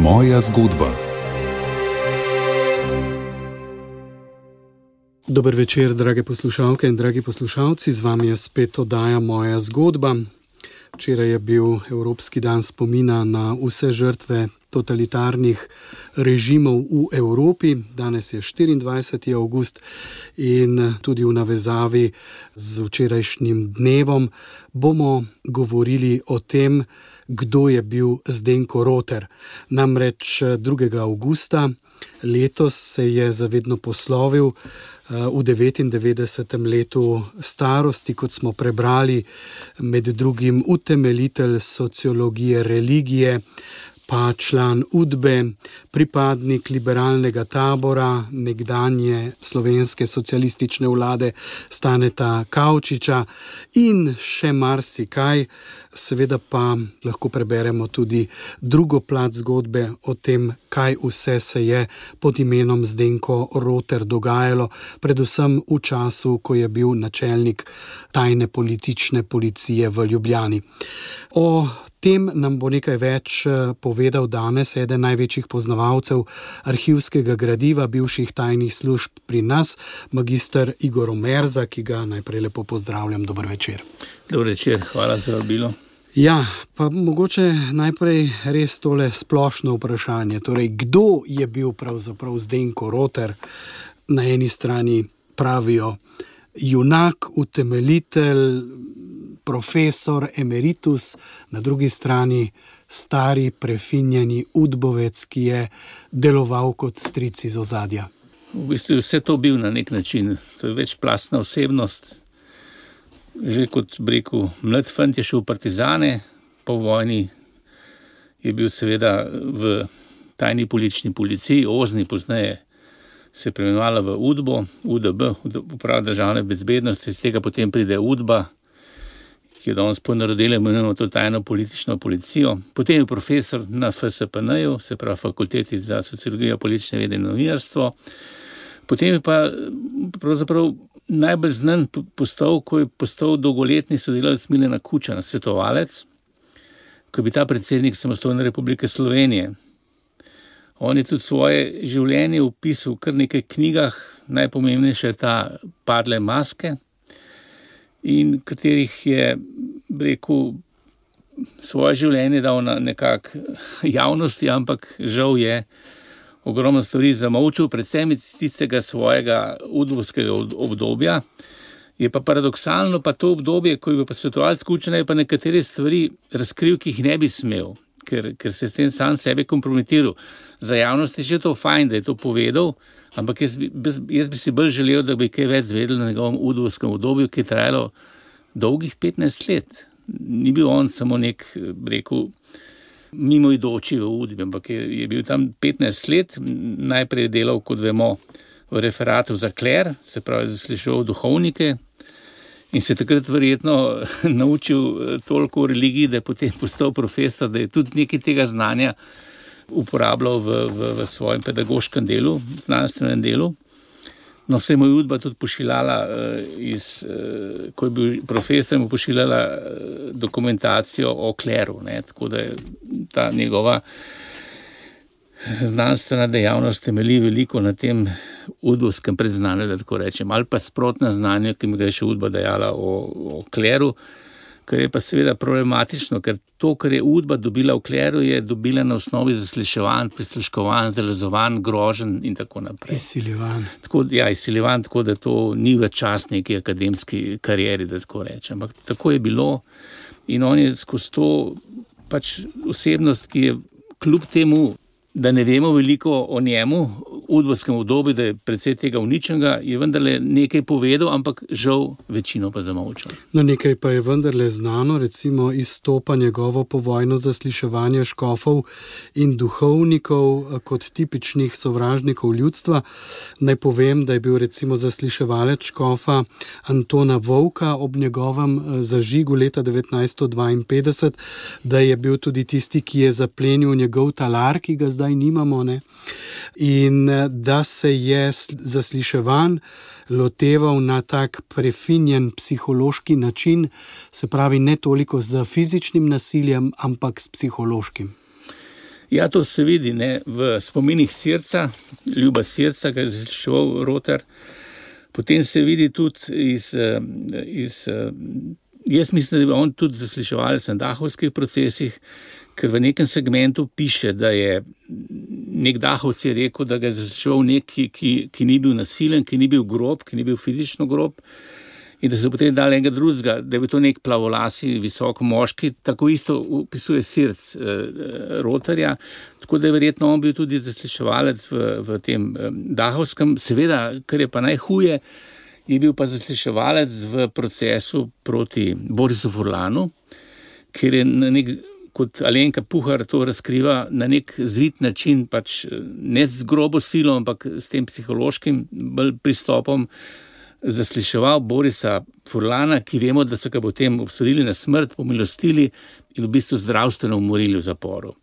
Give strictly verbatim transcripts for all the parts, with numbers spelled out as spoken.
Moja zgodba. Dober večer, drage poslušalke in dragi poslušalci, z vami je spet oddaja Moja zgodba. Včeraj je bil Evropski dan spomina na vse žrtve totalitarnih režimov v Evropi. Danes je štiriindvajseti avgust in tudi v navezavi z včerajšnjim dnevom bomo govorili o tem, kdo je bil Zdenko Roter. Namreč drugega avgusta letos se je zavedno poslovil v devetindevetdesetem letu starosti, kot smo prebrali, med drugim utemeljitelj sociologije religije, pa član Udbe, pripadnik liberalnega tabora, nekdanje slovenske socialistične vlade Staneta Kavčiča in še marsikaj. Seveda pa lahko preberemo tudi drugo plat zgodbe o tem, kaj vse se je pod imenom Zdenko Roter dogajalo, predvsem v času, ko je bil načelnik tajne politične policije v Ljubljani. O tem nam bo nekaj več povedal danes eden največjih poznavalcev arhivskega gradiva bivših tajnih služb pri nas, magister Igor Omerza, ki ga najprej lepo pozdravljam. Dober večer. Dober večer, hvala za vabilo. Ja, pa mogoče najprej res tole splošno vprašanje. Torej, kdo je bil pravzaprav Zdenko Roter? Na eni strani pravijo junak, utemeljitelj, profesor emeritus, na drugi strani stari, prefinjeni udbovec, ki je deloval kot stric iz ozadja. V bistvu je vse to bil na nek način. To je večplastna osebnost. Že kot breku, mlad fant je šel v partizane, po vojni je bil seveda v tajni politični policiji, Ozni pozneje se preimenovala v Udbo, U D B, Uprava državne bezbednosti, iz tega potem pride Udba, ki je danes ponarodila, imenujemo to tajno politično policijo. Potem je profesor na F S P N-ju, se pravi Fakulteti za sociologijo, politične vede in novinarstvo. Potem je pa pravzaprav najbolj znan postal, ko je postal dolgoletni sodelavec Milana Kučana, svetovalec, ko je bil ta predsednik Samostojne republike Slovenije. On je tudi svoje življenje opisal v kar nekaj knjigah, najpomembnejša je ta Padle maske, in katerih je, rekel, svoje življenje dal na nekak javnosti, ampak žal je ogromno stvari zamolčil, predvsem iz tistega svojega udbovskega obdobja. Je pa paradoksalno pa to obdobje, ko je bil pa svetovalec Kučana, je pa nekatere stvari razkril, ki jih ne bi smel, ker, ker se s tem sam sebe kompromitiral. Za javnost je že to fajn, da je to povedal, ampak jaz bi, jaz bi si bolj želel, da bi kaj več zvedel na njegovem udbovskem obdobju, ki je trajalo dolgih petnajst let. Ni bil on samo nek, rekel, mimoidoči v Udbi, ampak je, je bil tam petnajst let, najprej delal, kot vemo, v referatu za kler, se pravi zasliševal duhovnike in se takrat verjetno naučil toliko o religiji, da je potem postal profesor, da je tudi nekaj tega znanja uporabljal v, v, v svojem pedagoškem delu, znanstvenem delu. No, se je mu Udba tudi pošiljala, iz, ko je bil profesor, mu pošiljala dokumentacijo o kleru, ne, tako da je ta njegova znanstvena dejavnost temelji veliko na tem udbovskem predznanju, da tako rečem, ali pa sprotna znanje, ki mi ga je še Udba dajala o, o kleru, kar je pa seveda problematično, ker to, kar je Udba dobila v kleru, je dobila na osnovi zasliševanj, prisluškovanj, zalezovanj, groženj in tako naprej. Izsiljevanj. Tako, ja, izsiljevanj, tako da to ni v čas neki akademski karieri, da tako rečem. Ampak tako je bilo in on je skozi to pač osebnost, ki je kljub temu, da ne vemo veliko o njemu, v udbovskem obdobju, da je precej tega uničenega, je vendarle nekaj povedal, ampak žal večino pa zamolčal. No, nekaj pa je vendarle znano, recimo izstopa njegovo povojno zasliševanje škofov in duhovnikov kot tipičnih sovražnikov ljudstva. Naj povem, da je bil recimo zasliševalec škofa Antona Vovka ob njegovem zažigu leta devetnajststo dvainpetdeset, da je bil tudi tisti, ki je zaplenil njegov talar, ki ga zdaj nimamo, ne? In da se je zasliševanj loteval na tak prefinjen psihološki način, se pravi ne toliko z fizičnim nasiljem, ampak s psihološkim. Ja, to se vidi, ne, v spominih Sirca, Ljuba Sirca, ki je zasliševal Rotar. Potem se vidi tudi iz, iz jaz mislim, da je on tudi zasliševal v dahovskih procesih, ker v nekem segmentu piše, da je nek Dahovc je rekel, da ga je zasliševal nek, ki, ki, ki ni bil nasilen, ki ni bil grob, ki ni bil fizično grob, in da so potem dali enega drugega, da je bil to nek plavolasi, visok moški, tako isto opisuje Sirc eh, Rotarja, tako da je verjetno on bil tudi zasliševalec v, v tem eh, Dahovskem. Seveda, kar je pa najhuje, je bil pa zasliševalec v procesu proti Borisu Furlanu, ker je na nek, kot Alenka Puhar to razkriva, na nek zvit način, pač ne z grobo silo, ampak s tem psihološkim bolj pristopom zasliševal Borisa Furlana, ki vemo, da so ga potem obsodili na smrt, pomilostili in v bistvu zdravstveno umorili v zaporu.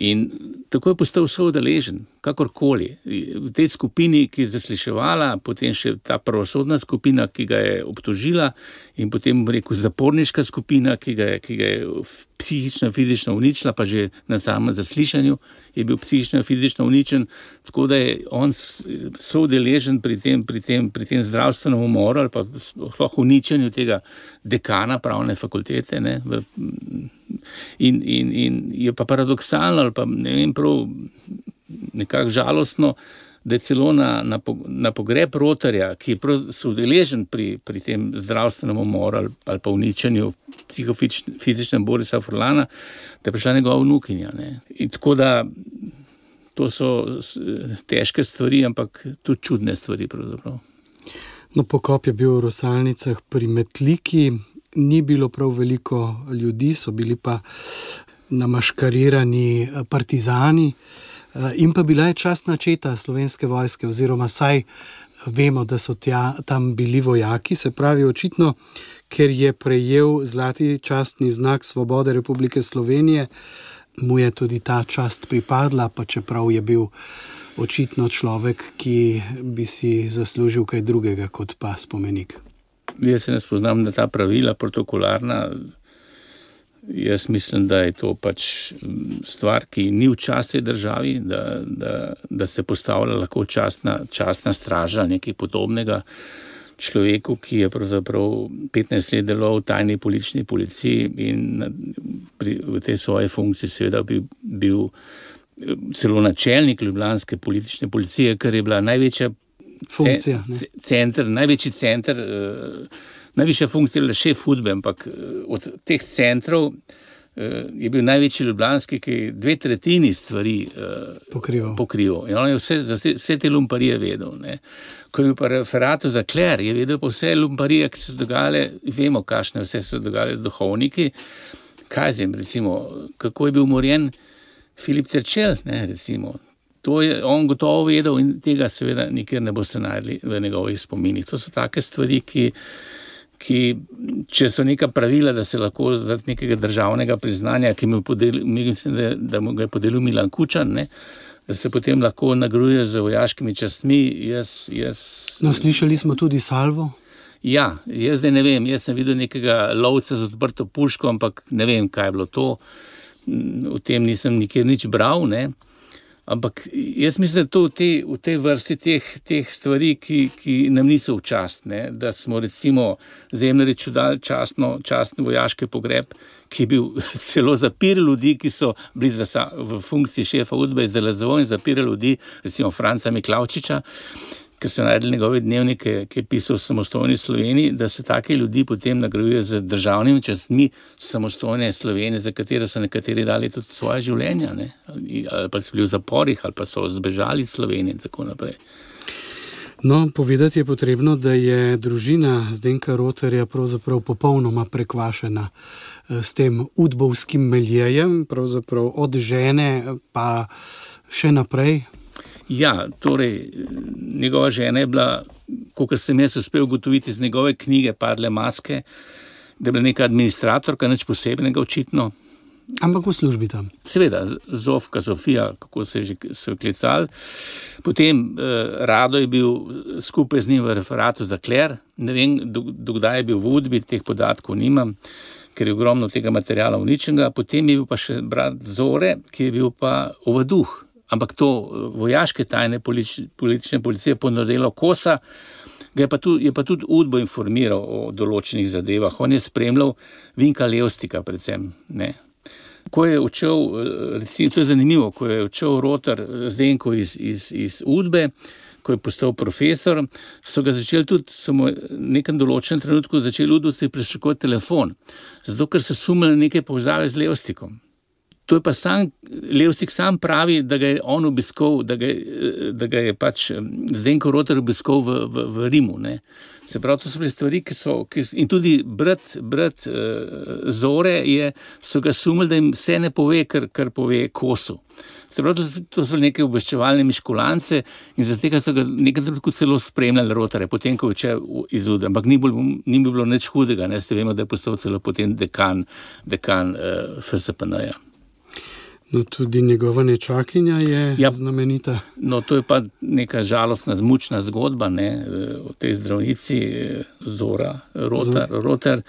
In tako je postal soudeležen, kakorkoli. V tej skupini, ki je zasliševala, potem še ta pravosodna skupina, ki ga je obtožila, in potem, rekel, zaporniška skupina, ki ga je, ki ga je psihično, fizično uničila, pa že na samem zaslišanju je bil psihično, fizično uničen, tako da je on soudeležen pri tem, pri tem, pri tem zdravstvenem umoru ali pa sploh uničenju tega dekana pravne fakultete, ne, v, In, in, in je pa paradoksalno ali pa ne vem prav nekako žalostno, da je celo na, na, na pogreb Rotarja, ki je prav soudeležen pri, pri tem zdravstvenem umoru ali, ali pa uničenju psihofizičnem Borisa Furlana, da je prišla njegova vnukinja. Ne. In tako da to so težke stvari, ampak tudi čudne stvari pravzaprav. No, pokop je bil v Rosalnicah pri Metliki. Ni bilo prav veliko ljudi, so bili pa namaškarirani partizani in pa bila je častna četa Slovenske vojske, oziroma saj vemo, da so tja, tam bili vojaki, se pravi očitno, ker je prejel zlati častni znak Svobode Republike Slovenije, mu je tudi ta čast pripadla, pa čeprav je bil očitno človek, ki bi si zaslužil kaj drugega kot pa spomenik. Jaz se ne spoznam na ta pravila protokolarna. Jaz mislim, da je to pač stvar, ki ni v čast tej državi, da, da, da se postavlja lahko častna, častna straža, nekaj podobnega človeku, ki je pravzaprav petnajst let deloval v tajni politični policiji in pri, v tej svoji funkciji seveda bi bil celo načelnik ljubljanske politične policije, kar je bila največja funkcija, center, največji center, uh, najvišja funkcija je šef hudbe, ampak uh, od teh centrov uh, je bil največji ljubljanski, ki je dve tretjini stvari uh, pokrival. pokrival. In on je vse, vse, vse te lumparije vedel. Ne. Ko je bil pa referatu za kler, je vedel pa vse lumparije, ki so dogajale, vemo, kakšne vse so dogajale z duhovniki. Kaj zem, recimo, kako je bil umorjen Filip Terčelj, ne, recimo. To je on gotovo vedel in tega seveda nikjer ne boste najdli v njegovih spominih. To so take stvari, ki, ki če so neka pravila, da se lahko zaradi nekega državnega priznanja, ki mu podeli, mislim, da, da mu ga je podelil Milan Kučan, ne, da se potem lahko nagrajuje z vojaškimi častmi. Jaz, jaz... No, slišali smo tudi salvo. Ja, jaz zdaj ne vem, jaz sem videl nekega lovca z odprto puško, ampak ne vem, kaj je bilo to. O tem nisem nikjer nič bral, ne. Ampak jaz mislim, da to v tej, v tej vrsti teh, teh stvari, ki, ki nam niso v čast, ne? Da smo recimo Zemljariču dali častno, častno vojaški pogreb, ki je bil celo zapirali ljudi, ki so bili za, v funkciji šefa udbe iz Zalazovo in zapirali ljudi, recimo Franca Miklavčiča, ker so najdeli njegove dnevnike, ki je pisal v samostojni Sloveniji, da se take ljudi potem nagrajuje z državnimi častmi samostojne Slovenije, za katere so nekateri dali tudi svoje življenja, ne? Ali, ali pa so bili v zaporih, ali pa so zbežali iz Slovenije in tako naprej. No, povedati je potrebno, da je družina Zdenka Rotarja pravzaprav popolnoma prekvašena s tem udbovskim miljejem, pravzaprav od žene pa še naprej. Ja, torej, njegova žena je bila, kakor sem jaz uspel ugotoviti iz njegove knjige Padle maske, da je bila neka administratorka, nič posebnega očitno. Ampak v službi tam. Seveda, Zofka, Sofija, kako se je že so klicali. Potem eh, Rado je bil skupaj z njim v referatu za kler, ne vem, do, do kdaj je bil v udbi, teh podatkov nimam. ker je ogromno tega materiala uničenega. Potem je bil pa še brat Zore, ki je bil pa ovaduh. Ampak to vojaške tajne politične policije ponudilo Kosa, ga je pa tudi, je pa tudi Udbo informiral o določenih zadevah. On je spremljal Vinka Levstika predvsem, ne. Ko je odšel, recimo, to je zanimivo, ko je odšel Rotar Zdenko iz, iz, iz Udbe, ko je postal profesor, so ga začeli tudi, so mu v nekem določenem trenutku začeli udovci prešukovati telefon, zato ker se sumili neke povezave z Levstikom. To je pa sam, Levstik sam pravi, da ga je on obiskal, da ga, da ga je pač Zdenko Rotar obiskal v, v, v Rimu, ne. Se pravi, to so bile stvari, ki so, ki, in tudi brat, brat uh, Zore je, so ga sumili, da jim vse ne pove, kar, kar pove Kosu. Se pravi, to, to so neke obveščevalne miškulance in zaradi tega so ga nekaj trenutku celo spremljali Rotarja, potem, ko je odšel iz Udbe, ampak ni, bolj, ni bilo nič hudega, ne, se vemo, da je postal celo potem dekan, dekan uh, F S P N-ja. No, tudi njegova nečakinja je ja, znamenita. No, to je pa neka žalostna, zmučna zgodba, ne, o tej zdravnici Zora Rotar, Zor. Rotar.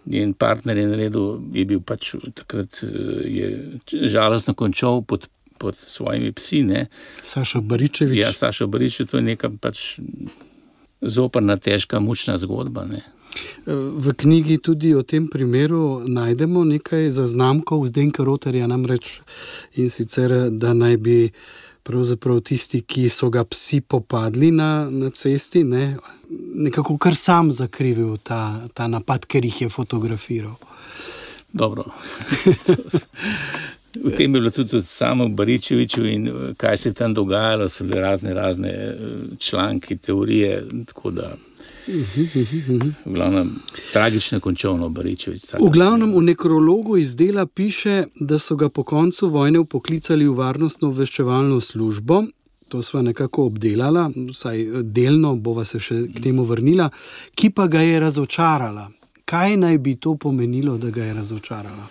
Njen partner je naredil, je bil pač takrat je žalostno končal pod, pod svojimi psi, ne. Sašo Baričevič. Ja, Sašo Baričevič, to je neka pač zoprna, težka, mučna zgodba, ne. V knjigi tudi o tem primeru najdemo nekaj zaznamkov Zdenka Rotarja, namreč in sicer, da naj bi pravzaprav tisti, ki so ga psi popadli na, na cesti, ne, nekako kar sam zakrivil ta, ta napad, ker jih je fotografiral. Dobro. V tem je bilo tudi samo Baričeviču in kaj se tam dogajalo, so bile razne, razne članki, teorije, tako da v glavnem tragično končovno Baričevič. V glavnem v nekrologu iz dela piše, da so ga po koncu vojne vpoklicali v varnostno obveščevalno službo. To sva nekako obdelala, vsaj delno bova se še k temu vrnila, ki pa ga je razočarala. Kaj naj bi to pomenilo, da ga je razočarala?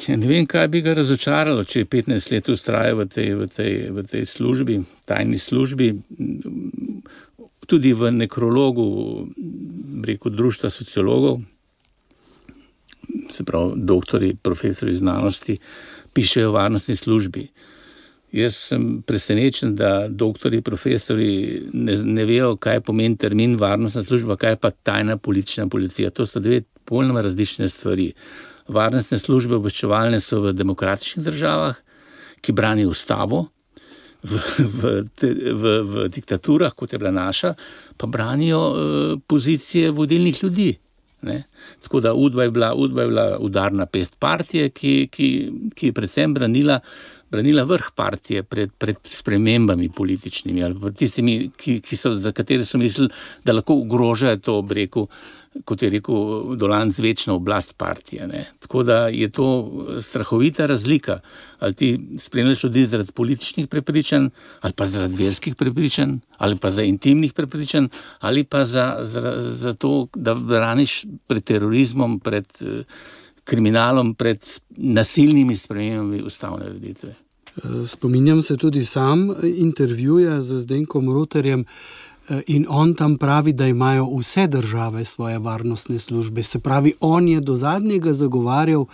Ja, ne vem, kaj bi ga razočaralo, če je petnajst let vztrajal v tej, v tej, v tej službi, tajni službi. Tudi v nekrologu, rekel, društva sociologov, se pravi, doktori, profesori znanosti, pišejo o varnostni službi. Jaz sem presenečen, da doktori, profesori ne, ne vejo, kaj pomeni termin varnostna služba, kaj pa tajna politična policija. To so dve popolnoma različne stvari. Varnostne službe obveščevalne so v demokratičnih državah, ki branijo ustavo, V, v, v, v diktaturah, kot je bila naša, pa branijo uh, pozicije vodilnih ljudi. Ne? Tako da Udba je bila, Udba je bila udarna pest partije, ki, ki, ki je predvsem branila, branila vrh partije pred, pred spremembami političnimi ali pred tistimi, ki, ki so, za katere so mislili, da lahko ogrožajo to, rekel, kot je rekel Dolanc, večno oblast partije. Ne? Tako da je to strahovita razlika. Ali ti spremljaš ljudi zaradi političnih prepričanj, ali pa zaradi verskih prepričanj, ali pa za intimnih prepričanj, ali pa za, za, za to, da braniš pred terorizmom, pred eh, kriminalom, pred nasilnimi spremembami ustavne ureditve. Spominjam se tudi sam intervjuja z Zdenkom Rotarjem, in on tam pravi, da imajo vse države svoje varnostne službe. Se pravi, on je do zadnjega zagovarjal,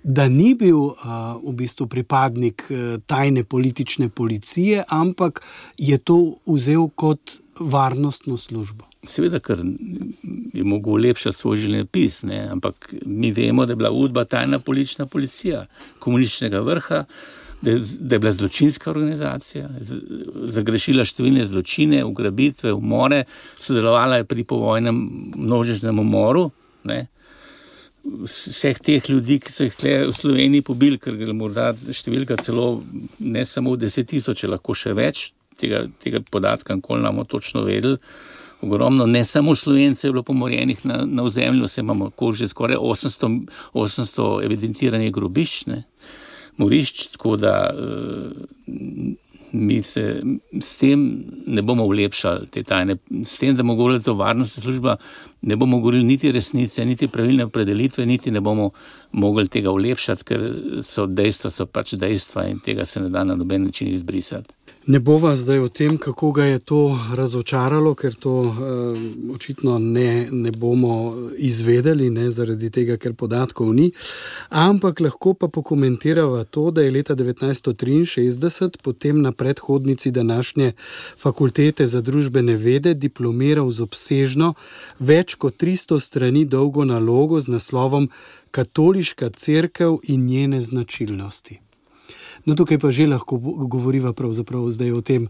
da ni bil uh, v bistvu pripadnik uh, tajne politične policije, ampak je to vzel kot varnostno službo. Seveda, ker je mogel ulepšati svoj življenjepis, ne, ampak mi vemo, da je bila Udba tajna politična policija komunističnega vrha, da je, da je bila zločinska organizacija, zagrešila številne zločine, ugrabitve, umore, sodelovala je pri povojnem množičnem umoru, ne. Vseh teh ljudi, ki so jih tle v Sloveniji pobili, ker je morda številka celo ne samo v deset tisoč, lahko še več, tega, tega podatka nikoli ne bomo točno vedeli. Ogromno, ne samo Slovencev je bilo pomorjenih na, na ozemlju, se imamo že skoraj osemsto, osemsto evidentiranih grobišč, ne. Morišč, tako da uh, mi se s tem ne bomo ulepšali te tajne, s tem, da bomo govorili to varnostna služba, ne bomo govorili niti resnice, niti pravilne opredelitve, niti ne bomo mogli tega ulepšati, ker so dejstva, so pač dejstva in tega se ne da na noben način izbrisati. Ne bova zdaj o tem, kako ga je to razočaralo, ker to uh, očitno ne, ne bomo izvedeli, ne, zaradi tega, ker podatkov ni. Ampak lahko pa pokomentirava to, da je leta devetnajststo triinšestdeset potem na predhodnici današnje fakultete za družbene vede diplomiral z obsežno več kot tristo strani dolgo nalogo z naslovom Katoliška cerkev in njene značilnosti. No, tukaj pa že lahko govoriva pravzaprav zdaj o tem,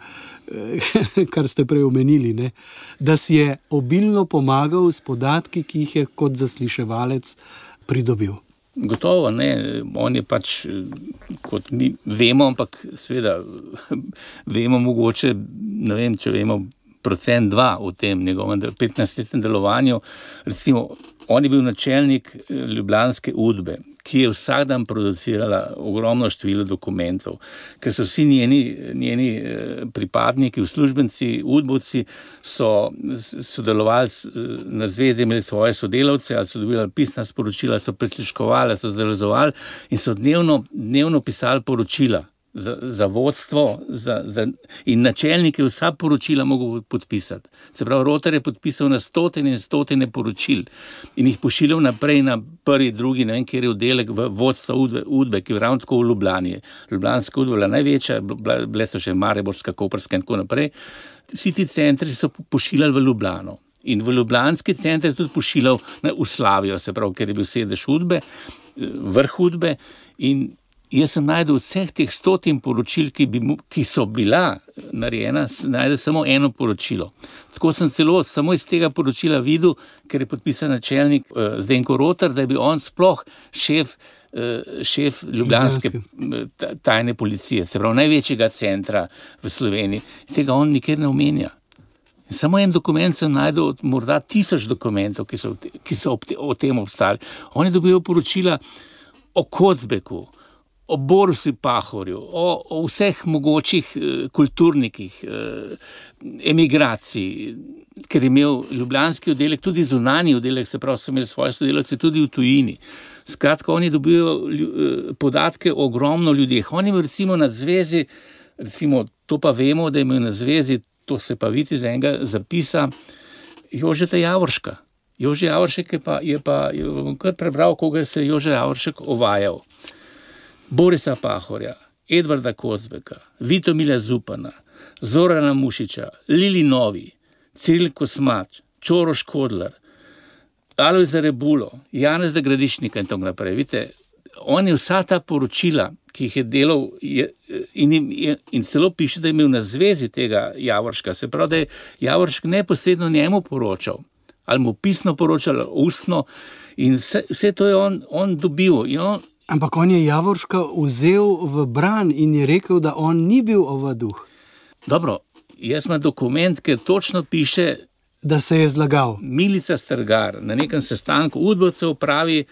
kar ste prej omenili, ne? Da si je obilno pomagal s podatki, ki jih je kot zasliševalec pridobil. Gotovo, ne. On je pač, kot mi vemo, ampak seveda vemo mogoče, ne vem, če vemo procent dva v tem njegovem petnajstletnem delovanju. Recimo, on je bil načelnik ljubljanske Udbe, ki je vsak dan producirala ogromno število dokumentov, ker so vsi njeni, njeni pripadniki, uslužbenci, udbovci so sodelovali na zvezi, imeli svoje sodelavce, ali so dobili pisna sporočila, so prisluškovali, so zavezovali in so dnevno, dnevno pisali poročila za, za vodstvo za, za, in načelnike vsa poročila mogel podpisati. Se pravi, Rotar je podpisal na stotine in stotine poročil in jih pošiljal naprej na prvi, drugi, ne vem, kjer je oddelek v vodstvo Udbe, Udbe, ki je ravno tako v Ljubljani. Ljubljanska Udba bila največja, bile so še Mariborska, Koprska in tako naprej. Vsi ti centri so pošiljali v Ljubljano. In v ljubljanski center je tudi pošiljal v Slavijo, se pravi, ker je bil sedež Udbe, vrh Udbe, in jaz sem najdel vseh teh stotin poročil, ki, bi, ki so bila narejena, najdel samo eno poročilo. Tako sem celo samo iz tega poročila videl, ker je podpisan načelnik uh, Zdenko Rotar, da je bil on sploh šef, uh, šef ljubljanske tajne policije, se pravi največjega centra v Sloveniji. Tega on nikjer ne omenja. Samo en dokument sem najdel od morda tisoč dokumentov, ki so, ki so o tem obstali. On je dobil poročila o Kocbeku, o Borusu Pahorju, o, o vseh mogočih eh, kulturnikih, eh, emigracij, ker je imel ljubljanski oddelek, tudi zunanji oddelek, se pravi, so imeli svoje sodelavce tudi v tujini. Skratka, oni dobijo eh, podatke o ogromno ljudeh. On je imel recimo na zvezi, recimo to pa vemo, da je imel na zvezi, to se pa vidi iz enega zapisa, Jožeta Javorška. Jože Javoršek je pa, je pa je kar prebral, koga se je Jože Javoršek ovajal. Borisa Pahorja, Edvarda Kocbeka, Vitomila Zupana, Zorana Mušiča, Lili Novi, Ciril Kosmač, Čoro Škodlar, Alojza Rebulo, Janeza Gradišnika in tako naprej. Vidite, on je vsa ta poročila, ki jih je delal je, in, in, in celo piše, da je imel na zvezi tega Javorška. Se pravi, da je Javoršk neposredno njemu poročal, ali mu pisno poročal, ustno, in vse, vse to je on, on dobil. In on, Ampak on je Javorška vzel v bran in je rekel, da on ni bil ovaduh. Dobro, jaz imam dokument, ker točno piše, da se je zlagal. Milica Strgar na nekem sestanku udbovcev pravi,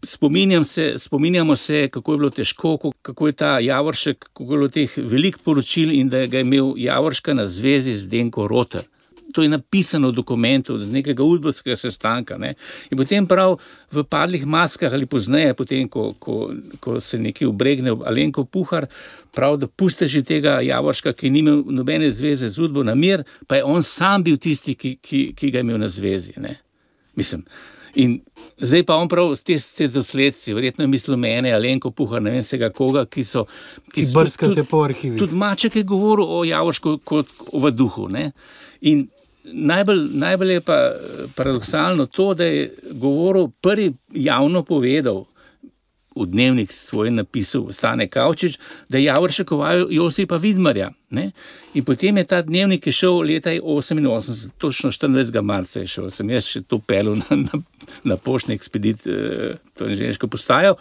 spominjam se, spominjamo se, kako je bilo težko, kako je ta Javoršek, kako je bilo teh velik poročil in da ga je imel Javorška na zvezi z Zdenko Rotar. To je napisano v dokumentu z nekega udbovskega sestanka. Ne? In potem prav v Padlih maskah ali pozneje, potem, ko, ko, ko se nekaj ubregne Alenko Puhar, prav, da puste že tega Javorška, ki ni imel nobene zveze z udbo na mir, pa je on sam bil tisti, ki, ki, ki ga je imel na zvezi. Ne? Mislim. In zdaj pa on prav te, te dosledci, verjetno je mislil mene, Alenko Puhar, ne vem vsega koga, ki so... Ki, ki brskate po arhivih. Tudi Maček je govoril o Javoršku kot o vaduhu. Ne? In Najbolj, najbolj je pa paradoksalno to, da je govoril, prvi javno povedal v dnevnik svoj napisal Stane Kavčič, da je Javoršek ovajal Josipa Vidmarja. Ne? In potem je ta dnevnik je šel leta oseminosemdeset, točno štiriindvajsetega marca je šel, sem jaz še to pelil na, na, na poštni ekspedit, to inženirsko postajo.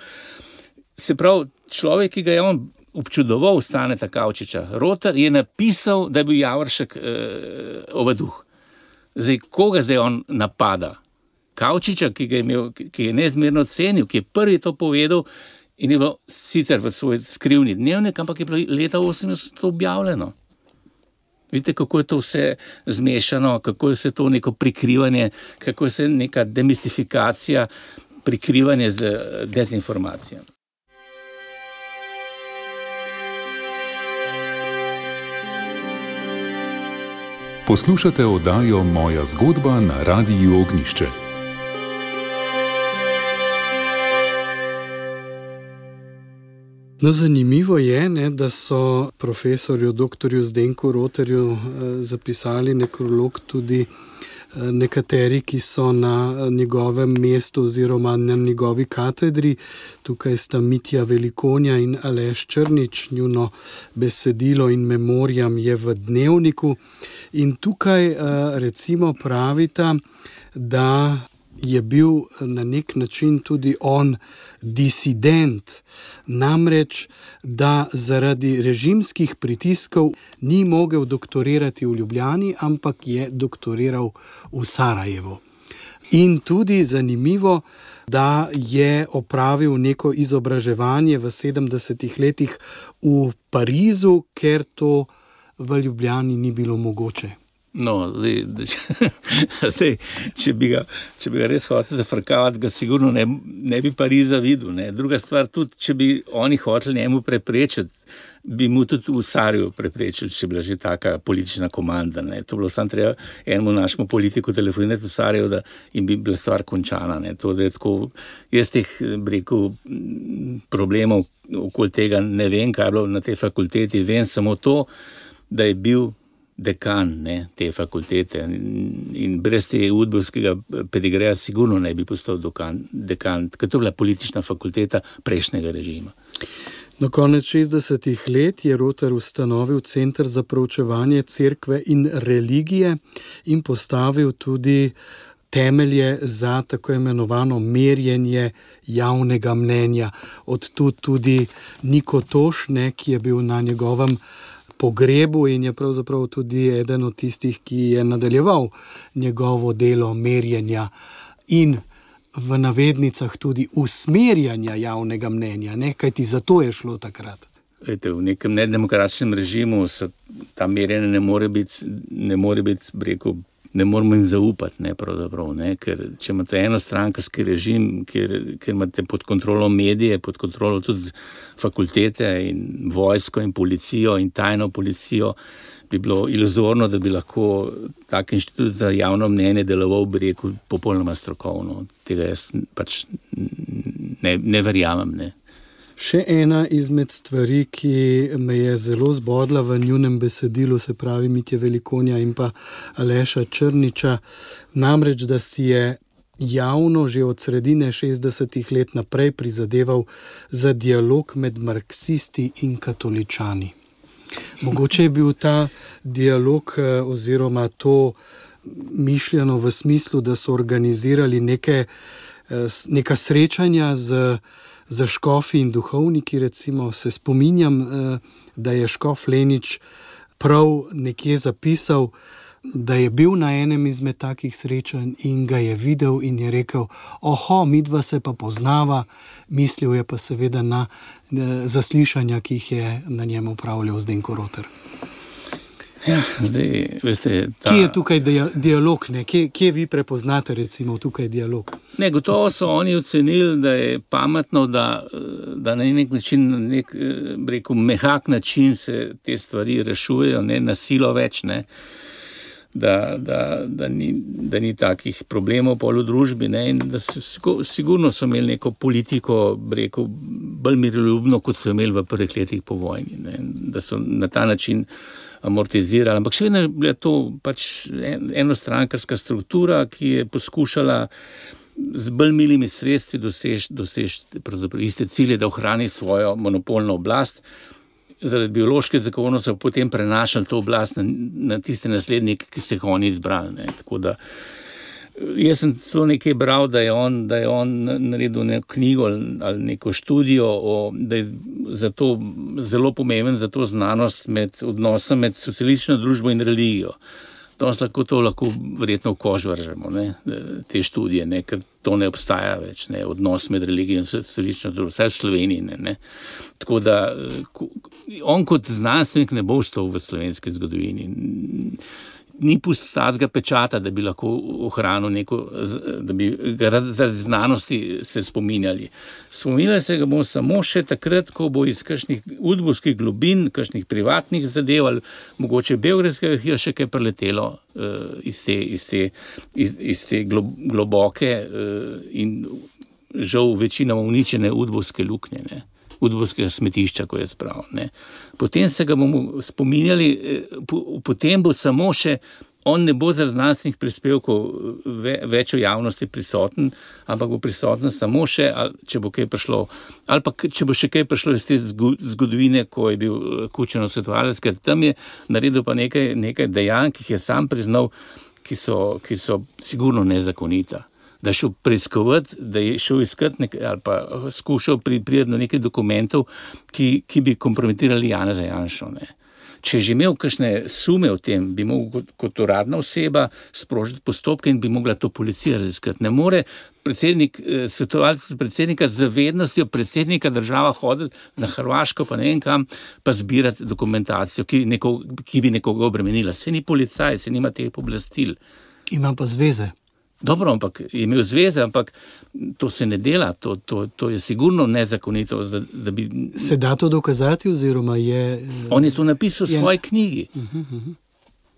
Se pravi, človek, ki ga je on občudoval, Staneta Kavčiča, Rotar, je napisal, da je bil Javoršek eh, ovaduh. Zdaj, koga zdaj on napada? Kavčiča, ki ga je imel, ki je neizmerno cenil, ki je prvi to povedal in je bilo sicer v svoj skrivni dnevnik, ampak je bilo leta osemdeset objavljeno. Vidite, kako je to vse zmešano, kako je vse to neko prikrivanje, kako je vse neka demistifikacija, prikrivanje z dezinformacijami. Poslušate oddajo Moja zgodba na Radiu Ognjišče. No, zanimivo je, ne, da so profesorju doktorju Zdenku Roterju eh, zapisali nekrolog tudi eh, nekateri, ki so na njegovem mestu oziroma na njegovi katedri. Tukaj sta Mitja Velikonja in Aleš Črnič, njuno besedilo in memoriam je v Dnevniku. In tukaj eh, recimo pravita, da je bil na nek način tudi on disident, namreč, da zaradi režimskih pritiskov ni mogel doktorirati v Ljubljani, ampak je doktoriral v Sarajevu. In tudi zanimivo, da je opravil neko izobraževanje v sedemdesetih letih v Parizu, ker to v Ljubljani ni bilo mogoče. No, zdaj, zdaj če, bi ga, če bi ga res hotel zafrkavati, ga sigurno ne, ne bi Pariza videl. Ne. Druga stvar, tudi če bi oni hoteli njemu preprečiti, bi mu tudi v Sarajevu preprečili, če bi bila že taka politična komanda. Ne. To bilo samo treba enemu našemu politiku telefonirati v Sarajevu, da in bi bila stvar končana. Ne. To, da je tako, jaz teh rekel, problemov okoli tega ne vem, kaj je bilo na tej fakulteti, vem samo to, da je bil dekan, ne, te fakultete in brez te udbovskega pedigreja sigurno ne bi postal dekan, dekan, ker to je bila politična fakulteta prejšnjega režima. Do konec šestdesetih let je Roter ustanovil Center za proučevanje cerkve in religije in postavil tudi temelje za tako imenovano merjenje javnega mnenja. Od tu tudi Niko Toš, ne, ki je bil na njegovem pogrebu in je pravzaprav tudi eden od tistih, ki je nadaljeval njegovo delo merjenja in v navednicah tudi usmerjanja javnega mnenja, ne? Kajti za to je šlo takrat. Lejte, v nekem nedemokratičnem režimu se ta merjenje ne more biti, ne more biti, rekel, ne moramo jim zaupati, ne, pravzaprav, ne, ker če imate enostrankarski režim, ker, ker imate pod kontrolo medije, pod kontrolo tudi fakultete in vojsko in policijo in tajno policijo, bi bilo iluzorno, da bi lahko tak inštitut za javno mnenje deloval, bi rekel, popolnoma strokovno. Tega jaz pač ne, ne verjamem, ne. Še ena izmed stvari, ki me je zelo zbodla v njunem besedilu, se pravi Mitje Velikonja in pa Aleša Črniča, namreč, da si je javno že od sredine šestdesetih let naprej prizadeval za dialog med marksisti in katoličani. Mogoče je bil ta dialog oziroma to mišljeno v smislu, da so organizirali neke, neka srečanja z za škofi in duhovniki, recimo, se spominjam, da je škof Lenič prav nekje zapisal, da je bil na enem izmed takih srečanj in ga je videl in je rekel, oho, midva se pa poznava, mislil je pa seveda na zaslišanja, ki jih je na njem opravljal Zdenko Roter. Ja, zdaj, veste, ta... Kje je tukaj dia- dialog, ne? Kje, kje vi prepoznate recimo tukaj dialog? Ne, gotovo so oni ocenili, da je pametno, da, da na nek način, na nek, rekel, mehak način se te stvari rešujejo, ne, na silo več, ne, da, da, da, ni, da ni takih problemov pol v družbi, ne, in da so, sigurno so imeli neko politiko, rekel, bolj miroljubno, kot so imeli v prvih letih po vojni, ne, da so na ta način amortizirali, ampak še vedno je bila to pač enostrankarska struktura, ki je poskušala z bolj milimi sredstvi doseči, doseči pravzaprav iste cilje, da ohrani svojo monopolno oblast. Zaradi biološke zakonov so potem prenašali to oblast na, na tiste naslednike, ki so jih oni izbrali. Ne. Tako da jaz sem celo nekaj bral, da je on, da je on naredil neko knjigo ali neko študijo, o, da je zato zelo pomemben za to znanost med odnosom med socialistično družbo in religijo. Danes lahko to lahko verjetno v kož vržemo, ne, te študije, ne, ker to ne obstaja več, ne, odnos med religijo in socialistično družbo, vsaj v Sloveniji, ne, ne. Tako da on kot znanstvenik ne bo ostal v slovenski zgodovini. ni pustil tazga pečata, da bi lahko ohranil neko, da bi ga zaradi znanosti se spominjali. Spominjali se ga bomo samo še takrat, ko bo iz kakšnih udbovskih globin, kakšnih privatnih zadev ali mogoče Beogradskega arhiva še kaj preletelo uh, iz te, iz te, iz, iz te globoke uh, in žal večinoma uničene udbovske luknje, ne. Udbovskega smetišča, ko je spravil, ne. Potem se ga bomo spominjali, potem bo samo še, on ne bo zaradi znanstvenih prispevkov ve, več v javnosti prisoten, ampak bo prisoten samo še, ali, če bo kaj prišlo, ali pa če bo še kaj prišlo iz te zgodovine, ko je bil Kučanov svetovalec, ker tam je naredil pa nekaj, nekaj dejanj, ki jih je sam priznal, ki so, ki so sigurno nezakonita. Da je šel preiskovati, da je šel iskati nekaj, ali pa skušal priti do nekaj dokumentov, ki, ki bi kompromitirali Janeza Janšo, ne. Če je že imel kakšne sume o tem, bi mogel kot, kot uradna oseba sprožiti postopke in bi mogla to policija raziskati. Ne more predsednik, svetovalec predsednika z vednostjo predsednika država hoditi na Hrvaško, pa ne vem kam, pa zbirati dokumentacijo, ki, neko, ki bi nekoga obremenila. Se ni policaj, se nima teh pooblastil. Ima pa zveze. Dobro, ampak je imel zveze, ampak to se ne dela, to, to, to je sigurno nezakonito. Da, da bi... Se da to dokazati oziroma je... On je to napisal v je... svoji knjigi. Uh-huh, uh-huh.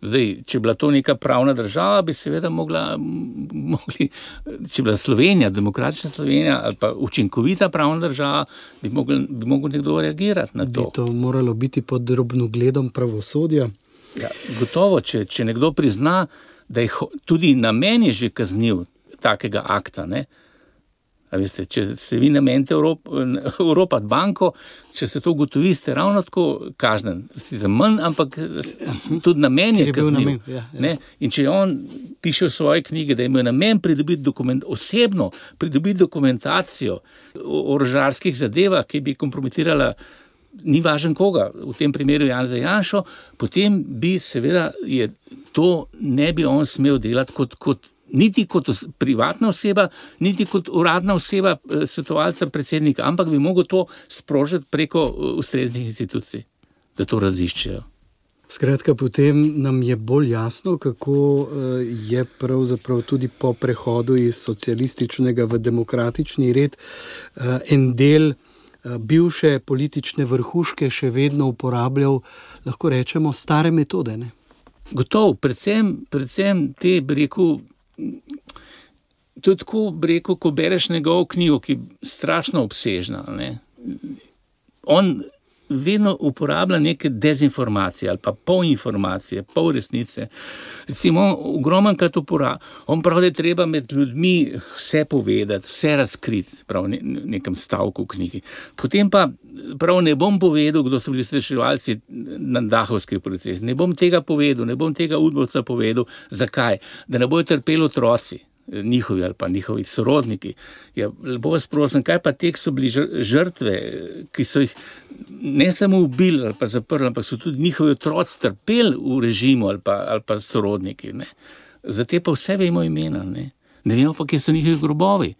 Zdaj, če bila to neka pravna država, bi seveda mogla, mogli, če bila Slovenija, demokratična Slovenija ali pa učinkovita pravna država, bi mogel, bi mogel nekdo reagirati na to. Bi to moralo biti pod drobnogledom pravosodja? Ja, gotovo, če, če nekdo prizna, da je tudi namen je že kaznil takega akta, ne. A veste, če se vi namenite Evropat banko, če se to ugotovi, ste ravno tako kažnen. Si za manj, ampak tudi namen je kaznil. Ja, ja. Ne? In če on piše v svoji knjigi, da je imel namen pridobiti dokument, osebno pridobiti dokumentacijo o orožarskih zadevah, ki bi kompromitirala ni važen koga, v tem primeru Janeza Janšo, potem bi seveda je to ne bi on smel delati kot, kot niti kot os, privatna oseba, niti kot uradna oseba svetovalca predsednika, ampak bi mogel to sprožiti preko ustreznih institucij, da to raziščejo. Skratka, potem nam je bolj jasno, kako je pravzaprav tudi po prehodu iz socialističnega v demokratični red en del bivše politične vrhuške še vedno uporabljal, lahko rečemo, stare metode, ne? Gotov, predvsem, predvsem te, bi rekel, to je tako, bi rekel, ko bereš njegovo knjigo, ki je strašno obsežna, ne? On vedno uporablja neke dezinformacije ali pa polinformacije, pol resnice. Recimo, ogromen krat uporablja. On pravi, da je treba med ljudmi vse povedati, vse razkriti, prav v nekem stavku v knjigi. Potem pa prav ne bom povedal, kdo so bili reševalci na Dahovski proces. Ne bom tega povedal, ne bom tega udbovca povedal. Zakaj? Da ne bojo trpeli otroci njihovi ali pa njihovi sorodniki. Ja, lepo vas prosim, kaj pa tek so bili žrtve, ki so jih ne samo ubili ali pa zaprli, ampak so tudi njihovi otroci trpeli v režimu ali pa, ali pa sorodniki, ne. Za te pa vse vemo imena, ne. Ne vemo pa, kje so njihovi grobovi.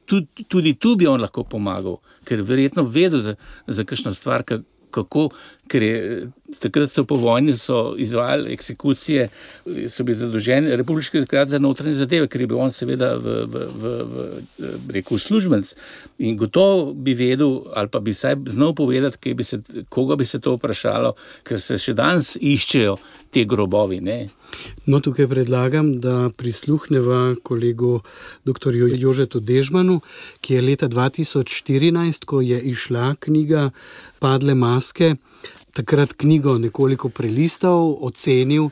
Tudi, tudi tu bi on lahko pomagal, ker verjetno vedel za, za kakšno stvar, kako, ker je takrat so po vojni so izvajali eksekucije, so bili zadolženi Republiški sklad za notranje zadeve, ker je bil on seveda v, v, v, v rekel službenc in gotovo bi vedel ali pa bi saj znal povedati, kaj bi se, koga bi se to vprašalo, ker se še danes iščejo te grobovi, ne. No, tukaj predlagam, da prisluhneva kolegu doktorju Jožetu Dežmanu, ki je leta dva tisoč štirinajst, ko je išla knjiga Padle maske, takrat knjigo nekoliko prelistal, ocenil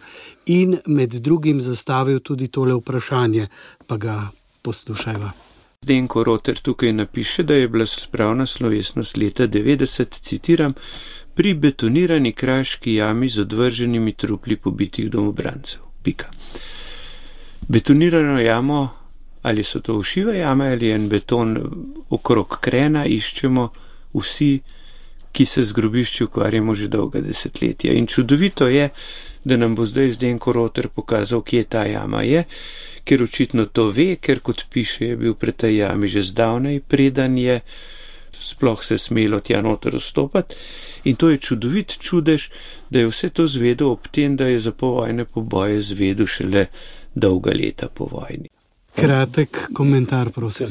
in med drugim zastavil tudi tole vprašanje, pa ga poslušajva. Zdenko Roter tukaj napiše, da je bila spravna slovesnost leta devetdeset, citiram, pri betonirani kraški jami z odvrženimi trupli pobitih domobrancev. Pika. Betonirano jamo, ali so to ušive jame ali en beton okrog krena, iščemo vsi, ki se z grobišči ukvarjamo že dolga desetletja. In čudovito je, da nam bo zdaj Zdenko Roter pokazal, kje ta jama je, ker očitno to ve, ker kot piše, je bil pri tej jami že zdavnej, preden je sploh se smelo tja noter vstopati. In to je čudovit čudež, da je vse to zvedel ob tem, da je za povojne poboje zvedel šele dolga leta po vojni. Kratek komentar, prosim.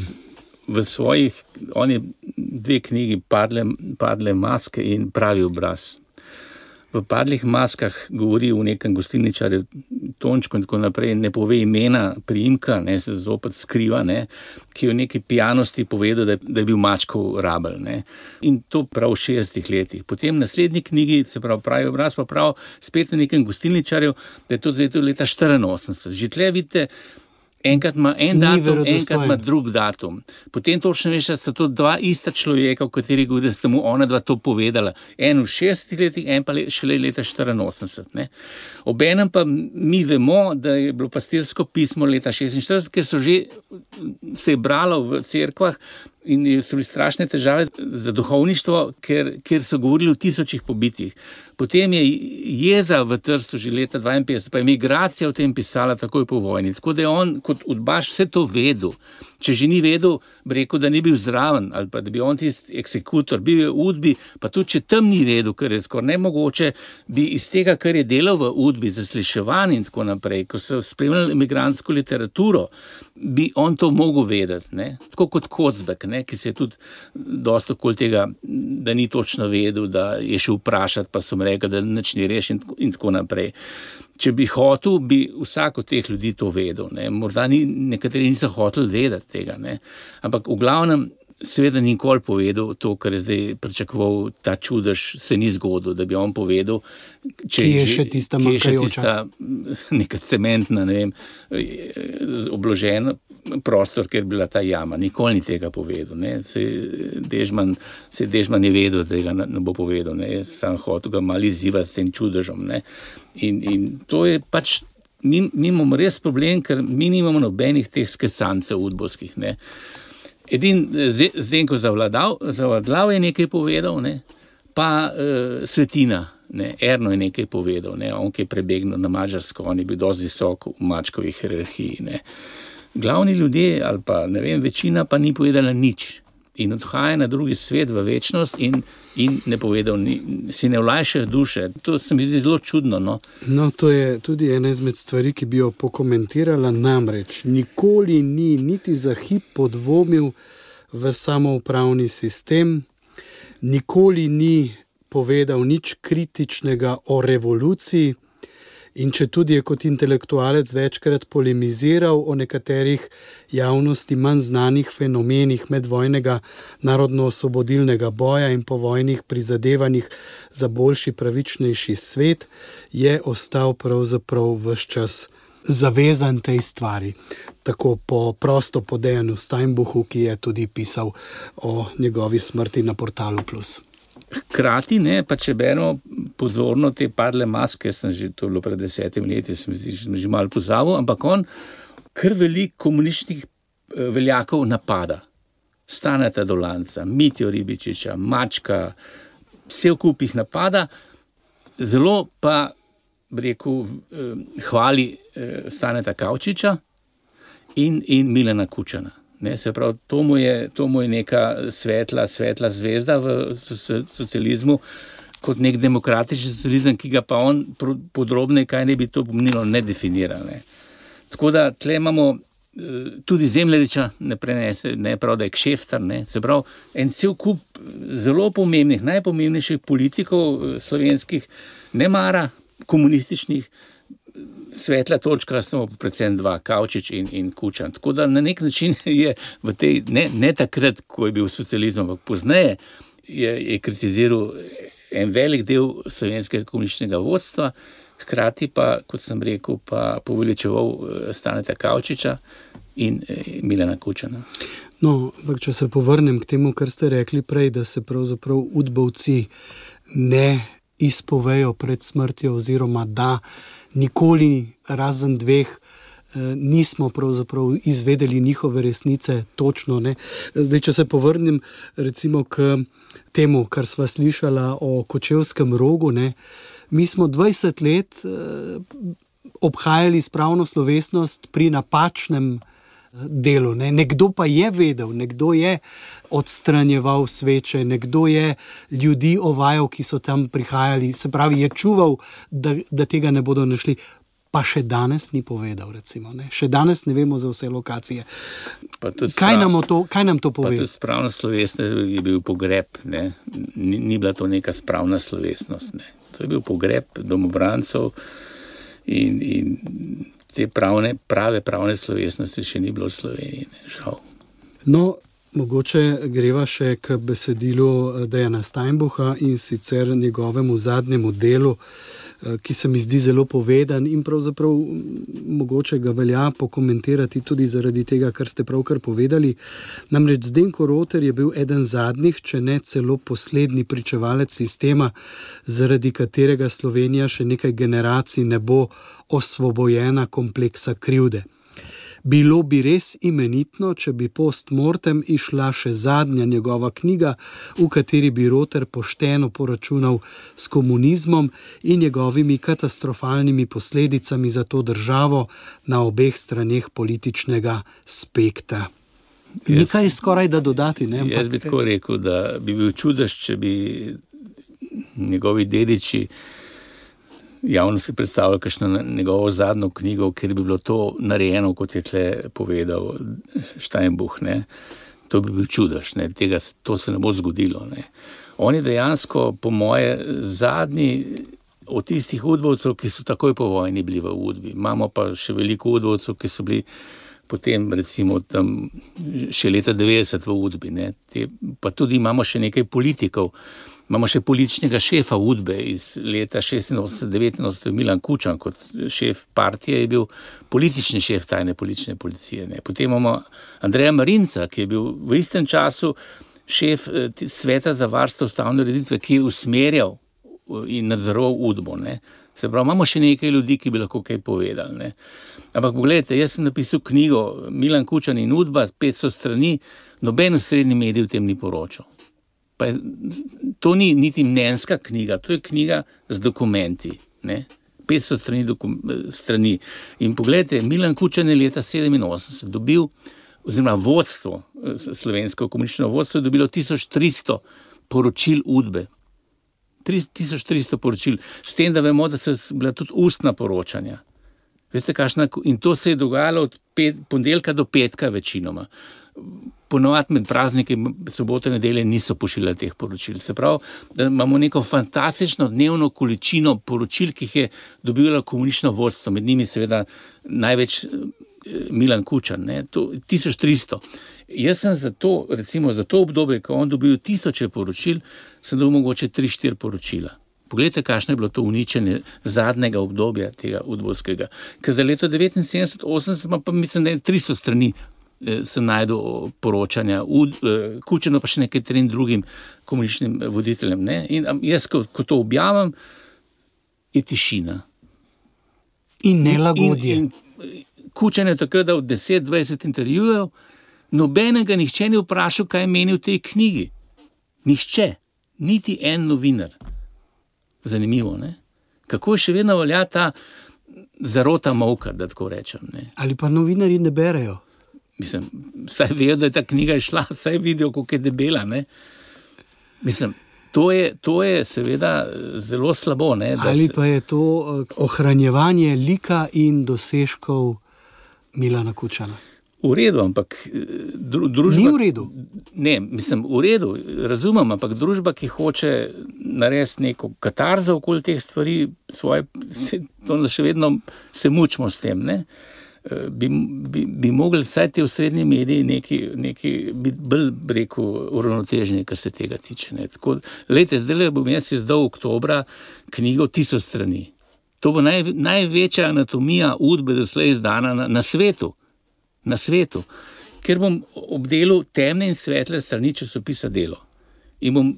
V svojih, on je dve knjigi, Padle, padle maske in Pravi obraz. V Padlih maskah govori o nekem gostilničarju Tončku in tako naprej, ne pove imena, priimka, ne, se zopet skriva, ne, ki je v neki pijanosti povedal, da, da je bil Mačkov rabelj. Ne. In to prav v šestdesetih letih. Potem v naslednji knjigi, se pravi Pravi obraz, pa prav spet na nekem gostilničarju, da je to zdaj leta štiriinosemdeset. Že tle vidite, enkrat ima en datum, enkrat ima drug datum. Potem točno veš, da sta to dva ista človeka, v katerih govori, da sta mu ona dva to povedala. En v šestdesetih letih, en pa le, šele leta štiriinosemdeset. Ne. Obenem pa mi vemo, da je bilo pastirsko pismo leta šestinštirideset, ker so že se je bralo v cerkvah in so bili strašne težave za duhovništvo, ker, ker so govorili o tisočih pobitih. Potem je jeza v Trstu že leta dvainpetdeset, pa je migracija o tem pisala takoj po vojni. Tako da je on kot udbaš vse to vedel. Če že ni vedel, bi rekel, da ni bil zraven, ali pa da bi on tisti eksekutor, bil je v Udbi, pa tudi če tam ni vedel, ker je skoraj nemogoče, bi iz tega, kar je delal v Udbi, zasliševanj in tako naprej, ko so spremljali imigrantsko literaturo, bi on to mogel vedeti, ne? Tako kot Kocbek, ne? Ki se je tudi dosti okoli tega, da ni točno vedel, da je šel vprašati, pa so mu rekli, da nič ni reš in, in tako naprej. Če bi hotel, bi vsak od teh ljudi to vedel. Ne? Morda ni, nekateri niso hoteli vedeti tega. Ne? Ampak v glavnem seveda nikoli povedal to, kar je zdaj pričakoval ta čudež, se ni zgodil, da bi on povedal, če je še tista manjkajoča. Neka cementna, ne vem, obložen prostor, kjer je bila ta jama. Nikoli ni tega povedal. Ne? Se Dežman, se Dežman je vedel, da tega ne bo povedal. Ne? Sam hotel ga malo izzivati s tem čudežom. Ne? In, in to je pač, mi, mi imamo res problem, ker mi nimamo nobenih teh skesancev udbovskih. Ne? Edin Zdenko Zavladal, Zavladlav je nekaj povedal, ne? Pa uh, Svetina, ne? Erno je nekaj povedal, ne? On, ki je prebegnil na Mađarsko, on je bil dosti visok v Mačkovi hierarhiji. Ne? Glavni ljudje, ali pa ne vem, večina pa ni povedala nič. In odhaja na drugi svet v večnost in, in ne povedal, ni, si ne vlajšajo duše. To se mi zdi zelo čudno. No? No, to je tudi ena izmed stvari, ki bi jo pokomentirala, namreč nikoli ni niti za hip podvomil v samoupravni sistem, nikoli ni povedal nič kritičnega o revoluciji, in če tudi je kot intelektualec večkrat polemiziral o nekaterih javnosti manj znanih fenomenih medvojnega narodno-osvobodilnega boja in povojnih prizadevanjih za boljši, pravičnejši svet, je ostal pravzaprav ves čas zavezan tej stvari. Tako po prosto po Dejanu Steinbuchu, ki je tudi pisal o njegovi smrti na Portalu Plus. Hkrati, ne, pa če beremo pozorno te Padle maske, sem že, to je bilo pred desetimi leti, sem že malo pozabil, ampak on kar veliko komunističnih veljakov napada. Staneta Dolanca, Mitjo Ribičiča, Mačka, vse v kup jih napada, zelo pa, bi rekel, hvali Staneta Kavčiča in, in Milana Kučana. Ne, se pravi, to mu, je, to mu je neka svetla, svetla zvezda v socializmu, kot nek demokratični socializem, ki ga pa on podrobneje, kaj ne bi to pomenilo, ne definira. Ne. Tako da tle imamo tudi Zemljariča, ne prenese, ne prav, da je kšeftar, ne. Se pravi, en cel kup zelo pomembnih, najpomembnejših politikov slovenskih, ne mara, komunističnih, svetla točka samo predvsem dva, Kavčič in, in Kučan. Tako da na nek način je v tej, ne, ne takrat, ko je bil socializem, ampak pozneje je, je kritiziral en velik del slovenskega komunističnega vodstva, hkrati pa, kot sem rekel, pa poveličeval Staneta Kavčiča in Milana Kučana. No, ampak če se povrnem k temu, kar ste rekli prej, da se pravzaprav udbovci ne izpovejo pred smrtjo oziroma da nikoli razen dveh nismo pravzaprav izvedeli njihove resnice točno. Ne? Zdaj, če se povrnem recimo k temu, kar sva slišala o Kočevskem rogu, ne? Mi smo dvajset let obhajali spravno slovesnost pri napačnem delu. Ne? Nekdo pa je vedel, nekdo je odstranjeval sveče, nekdo je ljudi ovajal, ki so tam prihajali, se pravi, je čuval, da, da tega ne bodo našli. Pa še danes ni povedal, recimo. Ne? Še danes ne vemo za vse lokacije. Kaj, sprav, nam to, kaj nam to pove? Pa tudi spravna slovesnost je bil pogreb. Ne? Ni, ni bila to neka spravna slovesnost. Ne? To je bil pogreb domobrancov in, in te pravne, prave pravne slovesnosti še ni bilo v Sloveniji. Ne? Žal. No, mogoče greva še k besedilu Dejana Steinbucha in sicer njegovemu zadnjemu delu, ki se mi zdi zelo povedan in pravzaprav mogoče ga velja pokomentirati tudi zaradi tega, kar ste pravkar povedali. Namreč Zdenko Roter je bil eden zadnjih, če ne celo poslednji pričevalec sistema, zaradi katerega Slovenija še nekaj generacij ne bo osvobojena kompleksa krivde. Bilo bi res imenitno, če bi post mortem išla še zadnja njegova knjiga, v kateri bi Roter pošteno poračunal s komunizmom in njegovimi katastrofalnimi posledicami za to državo na obeh straneh političnega spektra. Nekaj skoraj da dodati, ne? Jaz bi tako rekel, da bi bil čudež, če bi njegovi dediči javno si predstavljal kakšno njegovo zadnjo knjigo, kjer bi bilo to narejeno, kot je tle povedal Steinbuch, ne. To bi bil čudež, ne. Tega, to se ne bo zgodilo, ne. On je dejansko, po moje, zadnji od tistih udbovcev, ki so takoj po vojni bili v udbi. Imamo pa še veliko udbovcev, ki so bili potem, recimo, tam še leta devetdeset v udbi, ne. Te, pa tudi imamo še nekaj politikov. Imamo še političnega šefa udbe iz leta šestinosemdeset devetinosemdeset, Milan Kučan, kot šef partije je bil politični šef tajne politične policije. Ne. Potem imamo Andreja Marinca, ki je bil v istem času šef sveta za varstvo ustavne ureditve, ki je usmerjal in nadzoroval udbo. Ne. Se pravi, imamo še nekaj ljudi, ki bi lahko kaj povedali. Ne. Ampak pogledajte, jaz sem napisal knjigo Milan Kučan in udba, petsto strani, noben ustredni medij v tem ni poročal. Pa je, to ni niti mnenjska knjiga, to je knjiga z dokumenti, ne, petsto strani, dokum, strani. In pogledajte, Milan Kučan je leta sedeminosemdeset dobil, oziroma vodstvo, slovensko komunistično vodstvo je dobilo tisoč tristo poročil udbe. tisoč tristo poročil, s tem, da vemo, da so bila tudi ustna poročanja. Veste, kakšna, in to se je dogajalo od pet, ponedeljka do petka večinoma. Ponovadi med prazniki, sobote, nedelje niso pošiljali teh poročil. Se pravi, da imamo neko fantastično dnevno količino poročil, ki jih je dobilo komunistično vodstvo, med njimi seveda največ Milan Kučan, ne, to tisoč tristo. Jaz sem za to, recimo za to obdobje, ko on dobil tisoče poročil, sem dobil mogoče tri, štiri poročila. Poglejte, kakšno je bilo to uničenje zadnjega obdobja tega udbovskega. Ker za leto devetinsedemdeset osemdeset pa mislim, da je tristo strani sem najdel poročanja, Kučano pa še nekaj trem drugim komunističnim voditeljem. Ne? In jaz, ko, ko to objavim, je tišina. In nelagodje. In, in, Kučan je takrat dal deset dvajset intervjujev, nobenega nihče ni vprašal, kaj meni v tej knjigi. Nihče, niti en novinar. Zanimivo, ne? Kako še vedno velja ta zarota molka, da tako rečem. Ne? Ali pa novinarji ne berejo? Mislim, saj vejo, da je ta knjiga išla, saj vidijo, koliko je debela, ne. Mislim, to je, to je seveda zelo slabo, ne. Ali pa je to ohranjevanje lika in dosežkov Milana Kučana? V redu, ampak dru, družba... Ni v redu? Ne, mislim, v redu, razumem, ampak družba, ki hoče narediti neko katarzo okoli teh stvari, svoje, se, to še vedno se mučimo s tem, ne. Bi, bi, bi mogli vsaj te osrednji mediji neki, neki biti bolj, rekel, uravnoteženi, kar se tega tiče. Ne. Tako, lejte, zdaj bom jaz izdal oktobra knjigo tisoč strani. To bo naj, največja anatomija udbe doslej izdana na, na svetu. Na svetu. Ker bom obdelal temne in svetle strani časopisa Delo. In bom,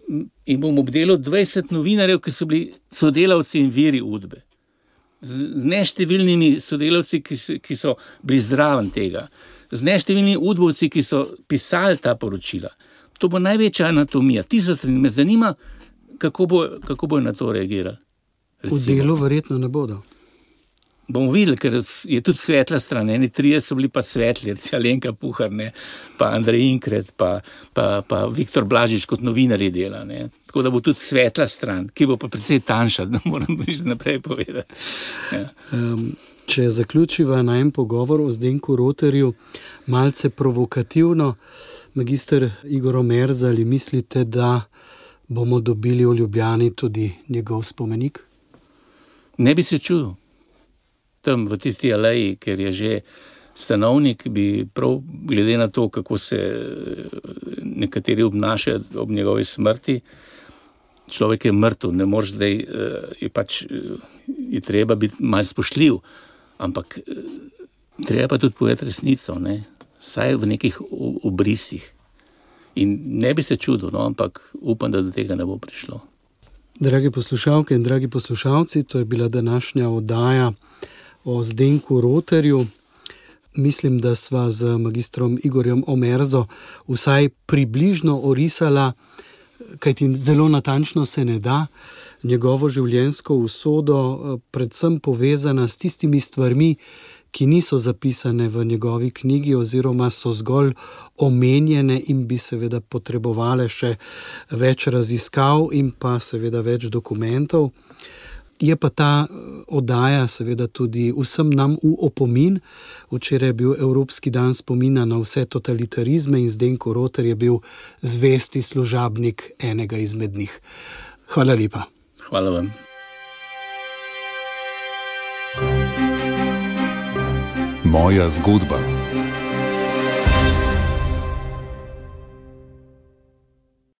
in bom obdelal dvajset novinarjev, ki so bili sodelavci in viri udbe. Z neštevilnimi sodelavci, ki so, ki so bili zraven tega, z neštevilnimi udbovci, ki so pisali ta poročila. To bo največja anatomija. Tisoč strani. Me zanima, kako bo, kako bo na to reagirali. V Delu verjetno ne bodo. bomo videli, ker je tudi svetla stran. Eni trije so bili pa svetli, recimo Alenka Puhar, ne, pa Andrej Inkret, pa, pa, pa Viktor Blažič kot novinarji dela. Ne. Tako da bo tudi svetla stran, ki bo pa precej tanjša, da moram že naprej povedati. Ja. Um, če zaključiva na en pogovor o Zdenku Roterju, malce provokativno, magister Igor Omerza, ali mislite, da bomo dobili v Ljubljani tudi njegov spomenik? Ne bi se čudil. Tam v tisti aleji, ker je že stanovnik, bi prav glede na to, kako se nekateri obnašajo ob njegovi smrti, človek je mrtev, ne moreš zdaj, je pač, je treba biti malo spoštljiv, ampak treba pa tudi povedati resnico, ne? Saj v nekih obrisih. In ne bi se čudil, no, ampak upam, da do tega ne bo prišlo. Dragi poslušalke in dragi poslušalci, to je bila današnja oddaja o Zdenku Roterju. Mislim, da sva z magistrom Igorjem Omerzo vsaj približno orisala, kajti zelo natančno se ne da, njegovo življenjsko usodo, predvsem povezana s tistimi stvarmi, ki niso zapisane v njegovi knjigi oziroma so zgolj omenjene in bi seveda potrebovale še več raziskav in pa seveda več dokumentov. Je pa ta oddaja seveda tudi vsem nam v opomin. Včeraj je bil Evropski dan spomina na vse totalitarizme in Zdenko Roter je bil zvesti služabnik enega izmed njih. Hvala lepa. Hvala vam. Moja zgodba.